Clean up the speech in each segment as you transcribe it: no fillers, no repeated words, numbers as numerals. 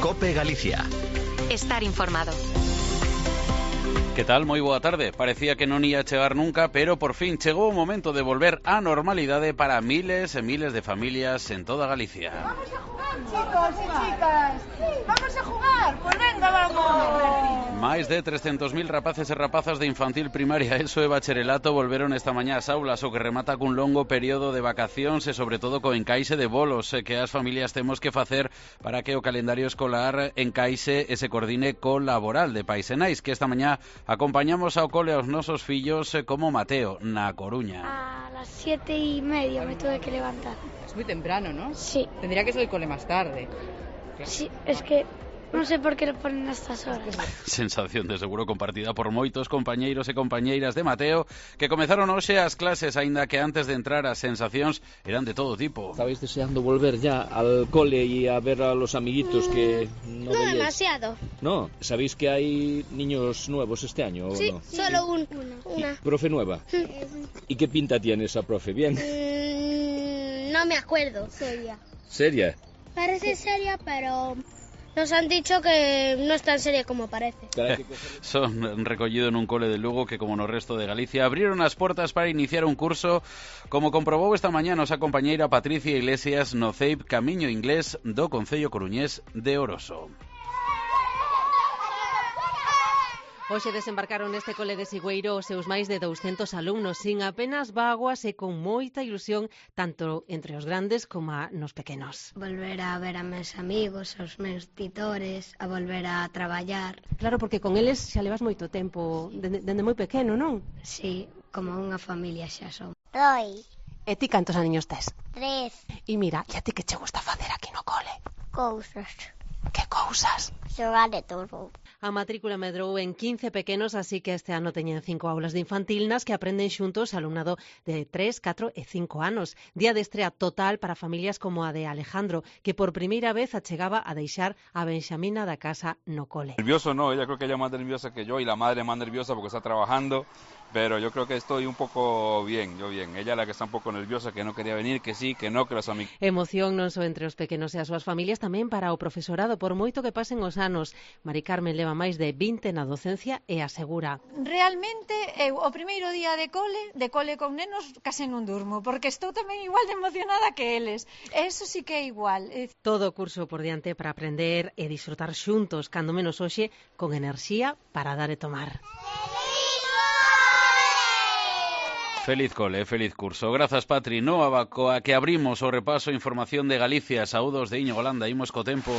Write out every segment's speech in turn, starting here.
COPE Galicia. Estar informado. Que tal? Moi boa tarde. Parecía que non ia chegar nunca, pero por fin chegou o momento de volver á normalidade para miles e miles de familias en toda Galicia. Vamos a jugar, chicos e chicas. Vamos a jugar. Pues venga, vamos. Máis de 300.000 rapaces e rapazas de infantil, primaria, ESO e bacharelato volveron esta mañá ás aulas, o que remata cun longo período de vacacións e sobre todo co encaixe de bolos que as familias temos que facer para que o calendario escolar encaixe e se coordine co laboral de pais e nais, que esta mañá acompañamos ao cole aos nosos fillos como Mateo, na Coruña. A las 7:30 me tuve que levantar. Es muy temprano, ¿no? Sí. Tendría que ser el cole más tarde. Sí, es que non sei por que lo ponen a estas horas. Sensación de seguro compartida por moitos compañeiros e compañeiras de Mateo que comezaron hoxe as clases, aínda que antes de entrar as sensacións eran de todo tipo. ¿Estabais deseando volver ya al cole y a ver a los amiguitos que no veíais? Demasiado. No, ¿sabéis que hay niños nuevos este año? Sí, ¿o no? solo una. ¿Profe nueva? ¿Y qué pinta tiene esa profe? ¿Bien? No me acuerdo. Seria. ¿Seria? Parece seria, pero nos han dicho que no es tan seria como parece. Son recollido nun cole de Lugo que, como no resto de Galicia, abriron as portas para iniciar un curso, como comprobou esta mañá nosa compañeira Patricia Iglesias no CEIP Camiño Inglés do Concello Coruñés de Oroso. Hoxe desembarcaron neste cole de Sigüeiro os seus máis de 200 alumnos, sin apenas vaguas e con moita ilusión, tanto entre os grandes como nos pequenos. Volver a ver a meus amigos, aos meus titores, a volver a traballar. Claro, porque con eles xa levas moito tempo, dende moi pequeno, non? Sí, como unha familia xa son. 2. E ti cantos aniños tes? 3. E mira, e a ti que che gusta facer aquí no cole? Cousas. Que cousas? Xogar de todo. A matrícula medrou en 15 pequenos, así que este ano teñen 5 aulas de infantil nas que aprenden xuntos alumnado de 3, 4 e 5 anos. Día de estrea total para familias como a de Alejandro, que por primeira vez achegaba a deixar a Benxamina da casa no cole. Nervioso no, ella creo que ella es más nerviosa que yo y la madre más nerviosa porque está trabajando, pero yo creo que estoy un poco bien, yo bien. Ella es la que está un poco nerviosa, que no quería venir, que sí, que no, que los amigos. Emoción non só entre os pequenos e as súas familias, tamén para o profesorado, por moito que pasen os anos. Mari Carmen leva máis de 20 na docencia e asegura: Realmente, eu o primeiro día de cole con nenos, case non durmo, porque estou tamén igual de emocionada que eles. Eso sí que é igual. Todo o curso por diante para aprender e disfrutar xuntos, cando menos hoxe, con enerxía para dar e tomar. Feliz cole, feliz curso. Grazas, Patri. No abacoa que abrimos o repaso información de Galicia. Saúdos de Íñigo Holanda. Imos co tempo.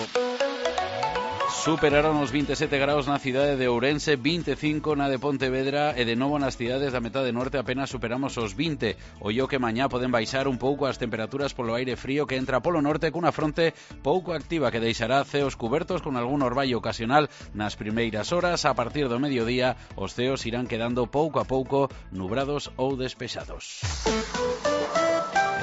Superaron os 27 graus na cidade de Ourense, 25 na de Pontevedra e de novo nas cidades da metade norte apenas superamos os 20. Ollo que mañá poden baixar un pouco as temperaturas polo aire frío que entra polo norte cunha fronte pouco activa que deixará ceos cubertos con algún orballo ocasional nas primeiras horas. A partir do mediodía os ceos irán quedando pouco a pouco nubrados ou despexados.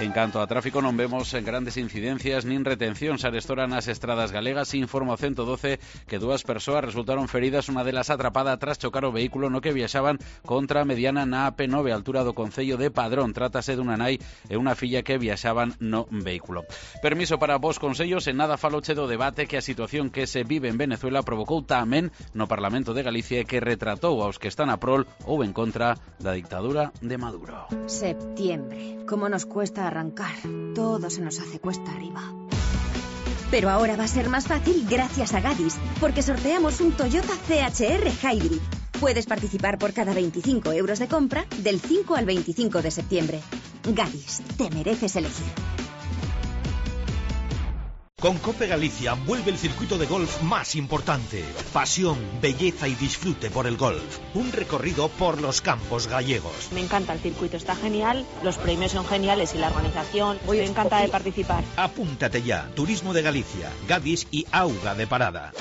En canto a tráfico non vemos grandes incidencias nin retencións arestora nas estradas galegas. Informa o 112 que 2 persoas resultaron feridas, unha delas atrapada tras chocar o vehículo no que viaxaban contra a mediana na AP9, altura do Concello de Padrón. Trátase dunha nai e unha filla que viaxaban no vehículo. Permiso para vos consellos, en nada faloche do debate que a situación que se vive en Venezuela provocou tamén no Parlamento de Galicia, que retratou aos que están a prol ou en contra da dictadura de Maduro. Septiembre. ¿Cómo nos cuesta arrancar? Todo se nos hace cuesta arriba. Pero ahora va a ser más fácil gracias a Gadis, porque sorteamos un Toyota CHR Hybrid. Puedes participar por cada 25 euros de compra del 5 al 25 de septiembre. Gadis, te mereces elegir. Con COPE Galicia vuelve el circuito de golf más importante. Pasión, belleza y disfrute por el golf. Un recorrido por los campos gallegos. Me encanta el circuito, está genial, los premios son geniales y la organización. Estoy encantada de participar. Apúntate ya. Turismo de Galicia, Gadis y Auga de Parada.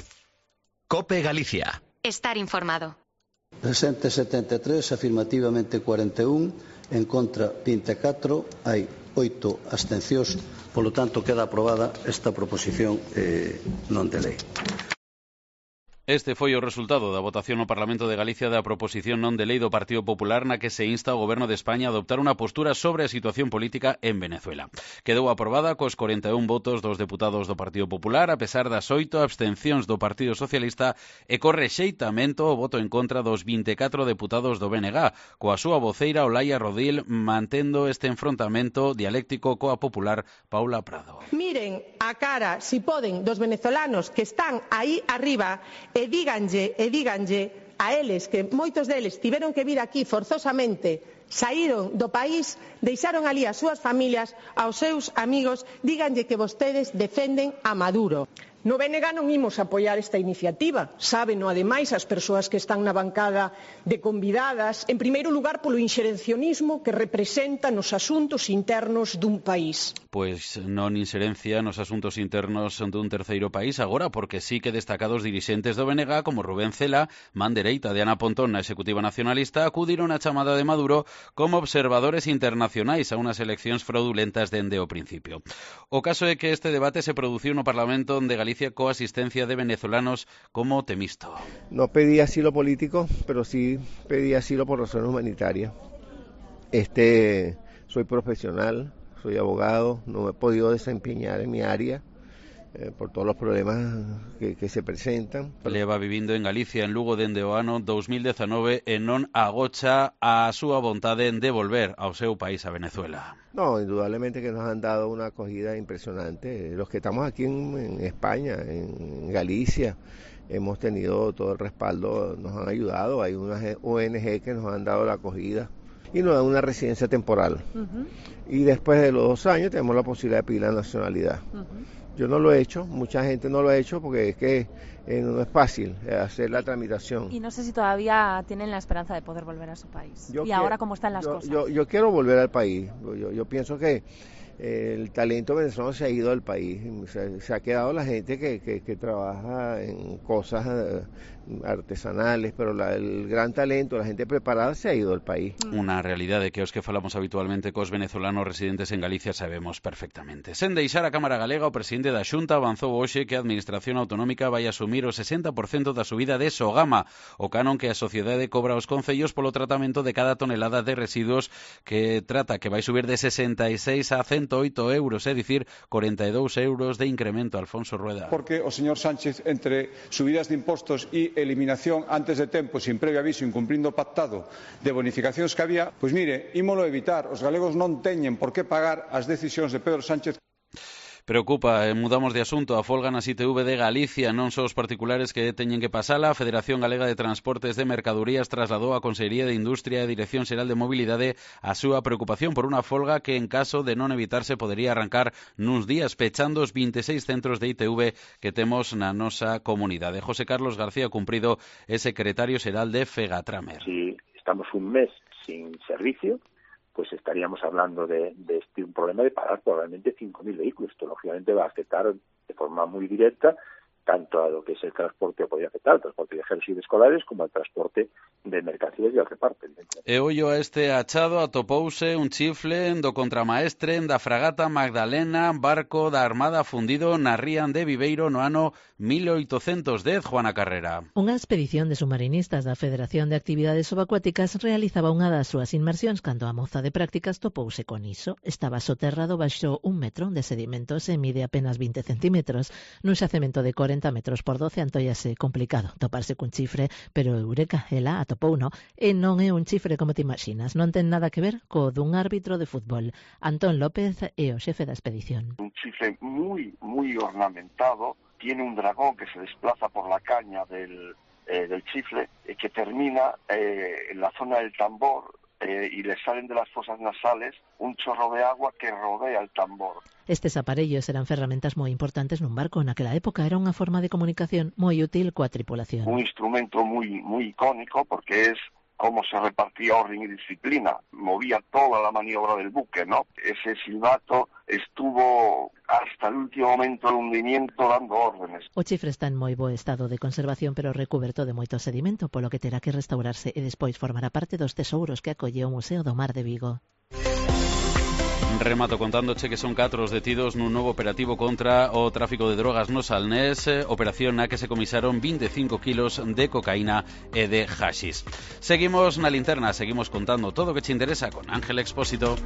COPE Galicia. Estar informado. Presente 73, afirmativamente 41, en contra 24, hai 8 abstencións, polo tanto queda aprobada esta proposición non de lei. Este foi o resultado da votación no Parlamento de Galicia da proposición non de lei do Partido Popular na que se insta ao Goberno de España a adoptar unha postura sobre a situación política en Venezuela. Quedou aprobada cos 41 votos dos deputados do Partido Popular, a pesar das 8 abstencións do Partido Socialista e co rexeitamento o voto en contra dos 24 deputados do BNG, coa súa voceira Olaya Rodil mantendo este enfrontamento dialéctico coa popular Paula Prado. Miren a cara, si poden, dos venezolanos que están aí arriba e díganlle a eles, que moitos deles tiveron que vir aquí forzosamente, saíron do país, deixaron ali as súas familias, aos seus amigos, díganlle que vostedes defenden a Maduro. No BNG non imos apoiar esta iniciativa, sábeno ademais as persoas que están na bancada de convidadas, en primeiro lugar polo inxerencionismo que representa nos asuntos internos dun país. Pois non inxerencia nos asuntos internos dun terceiro país agora, porque sí que destacados dirixentes do BNG como Rubén Cela, man dereita de Ana Pontón na Executiva Nacionalista, acudiron á chamada de Maduro como observadores internacionais a unhas eleccións fraudulentas dende o principio. O caso é que este debate se produciu no Parlamento de Galicia coa asistencia de venezolanos como Temisto. No pedí asilo político, pero sí pedí asilo por razones humanitarias. Soy profesional, soy abogado, no me he podido desempeñar en mi área por todos os problemas que se presentan. Leva vivindo en Galicia, en Lugo, dende o ano 2019 e non agocha a súa vontade de volver ao seu país, a Venezuela. No, indudablemente que nos han dado una acogida impresionante. Los que estamos aquí en España, en Galicia, hemos tenido todo el respaldo, nos han ayudado. Hay unas ONG que nos han dado la acogida y nos dan una residencia temporal. Y después de los 2 años tenemos la posibilidad de pedir la nacionalidad. Yo no lo he hecho, mucha gente no lo ha hecho porque es que no es fácil hacer la tramitación. Y no sé si todavía tienen la esperanza de poder volver a su país. Ahora cómo están las cosas. Yo quiero volver al país. Yo pienso que el talento venezolano se ha ido del país. Se ha quedado la gente que trabaja en cosas artesanales, pero el gran talento, la gente preparada se ha ido del país. Unha realidade que os que falamos habitualmente cos venezolanos residentes en Galicia sabemos perfectamente. Sen deixar a Cámara Galega, o presidente da Xunta avanzou hoxe que a Administración Autonómica vai asumir o 60% da subida de Sogama, o canon que a sociedade cobra aos concellos polo tratamento de cada tonelada de residuos que vai subir de 66 a 108 euros, é dicir, 42 euros de incremento. Alfonso Rueda. Porque o señor Sánchez, entre subidas de impostos e eliminación antes de tempo, sin previo aviso, incumplindo o pactado de bonificacións que había, pois mire, ímolo evitar. Os galegos non teñen por que pagar as decisións de Pedro Sánchez. Preocupa, mudamos de asunto, a folga nas ITV de Galicia, non só os particulares que teñen que pasala. A Federación Galega de Transportes de Mercadorías trasladou á Consellería de Industria e Dirección Xeral de Mobilidade a súa preocupación por unha folga que, en caso de non evitarse, podería arrancar nuns días, pechando os 26 centros de ITV que temos na nosa comunidade. José Carlos García Cumprido é secretario xeral de Fegatramer. Si estamos un mes sin servicio, pues estaríamos hablando de un problema de parar probablemente 5.000 vehículos. Esto, lógicamente, va a afectar de forma muy directa tanto a lo que es el transporte, podría afectar al transporte de viajeros y de escolares, como al transporte de mercancías y al reparto. E ollo a este achado atopouse un chifle do contramaestre da fragata Magdalena, barco da Armada fundido na ría de Viveiro no ano 1810, Juana Carrera. Unha expedición de submarinistas da Federación de Actividades Subacuáticas realizaba unha das súas inmersións cando a moza de prácticas topouse con iso. Estaba soterrado baixo 1 metro de sedimentos e mide apenas 20 centímetros. Nun xacemento de 40 metros por 12 antóllase complicado toparse cun chifre, pero eureka, ela atopouno, e non é un chifre como te imaginas, non ten nada que ver co dun árbitro de fútbol. Antón López é o xefe da expedición. Un chifre muy ornamentado, tiene un dragón que se desplaza por la caña del chifle, que termina en la zona del tambor, y le salen de las fosas nasales un chorro de agua que rodea el tambor. Estes aparellos eran ferramentas moi importantes nun barco. Naquela época era unha forma de comunicación moi útil coa tripulación. Un instrumento muy icónico porque es cómo se repartía orden y disciplina, movía toda la maniobra del buque, ¿no? Ese silbato estuvo hasta el último momento del hundimiento dando órdenes. O chifre está en moi bo estado de conservación, pero recuberto de moito sedimento, polo que terá que restaurarse e despois formará parte dos tesouros que acolle o Museo do Mar de Vigo. Remato contándoche que son 4 os detidos nun novo operativo contra o tráfico de drogas no Salnés, operación na que se comisaron 25 kilos de cocaína e de haxis. Seguimos na linterna, seguimos contando todo o que te interesa con Ángel Expósito.